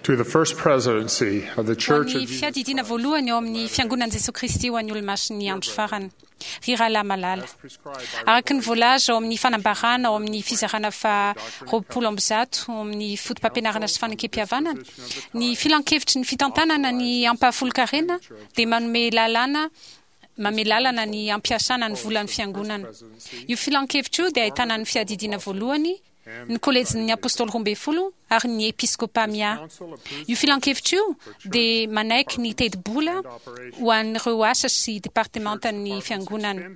To the First Presidency of the Ho Church an'ny of Jesus Fiadidiana Voalohany ao amin'ny Fiangonan'i Jesoa Kristy ho an'ny Olomasin'ny Andro Farany. Ry rahalahy malala, araka ny voalaza ao amin'ny fanambarana ao amin'ny fizarana faha 120 ao amin'ny Fotopampianarana sy Fanekempihavanana, ny Filankevitry ny Fitantanana ny Ampahafolon-karena dia manome lalàna manome lalana ny hampiasana ny volan'ny Fiangonana. Io Filankevitra io dia ahitana ny Fiadidiana Voalohany, ny Kolejin'ny Apostoly Roambinifolo ary ny Episkôpà Miahy. Io filankevitra io dia manaiky ny tetibola ho an'ireo asa sy departemantan'ny Fiangonana.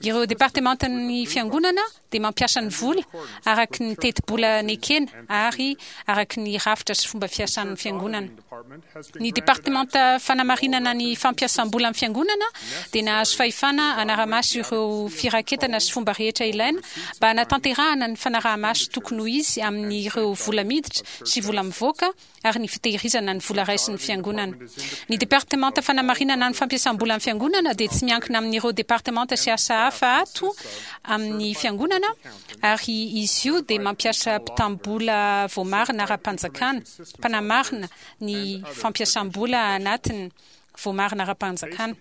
Ireo departemantan'ny Fiangonana dia mampiasa ny vola araka ny tetibola nekena ary araka ny rafitra sy fomba fiasan'ny Fiangonana. Ny Departemanta Fanamarinana ny Fampiasam-bola amin'ny Fiangonana dia nahazo fahefana hanara-maso ireo firaketana sy fomba rehetra ilaina mba hanatanterahana ny fanaraha-maso tokony ho izy amin'ireo vola miditra sy vola mivoaka ary ny fitehirizana ny vola raisin'ny Fiangonana. Ny Departemanta Fanamarinana ny Fampiasam-bola amin'ny Fiangonana dia tsy miankina amin'ireo departemanta sy asa hafa ato amin'ny Fiangonana ary izy io dia mampiasa mpitam-bola voamarina ara-panjakana. mpanamarina ny fampiasam-bola anatiny voamarina ara-panjakana.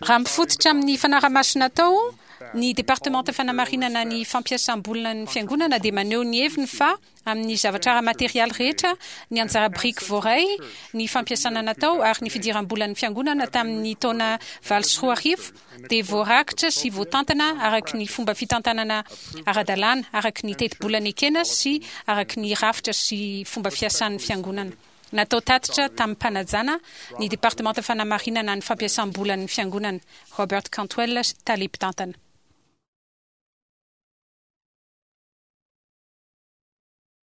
Raha mifototra amin'ny fanarahamaso natao, ny Departemanta Fanamarinana ny Fampiasam-bolan'ny Fiangonana dia maneho ny heviny fa amin'ny zavatra ara-materialy rehetra, ny anjara biriky voaray, ny fampiasana natao ary ny fidiram-bolan'ny Fiangonana tamin'ny taona 2008 dia voarakitra sy voatantana araka ny fomba fitantanana ara-dalàna, araka ny tetibola nekena sy araka ny rafitra sy fomba fiasan'ny Fiangonana. Natao tatitra tamim-panajana ny Departemanta Fanamarinana ny Fampiasam-bolan'ny Fiangonana, Robert Cantwell, Tale Mpitantana.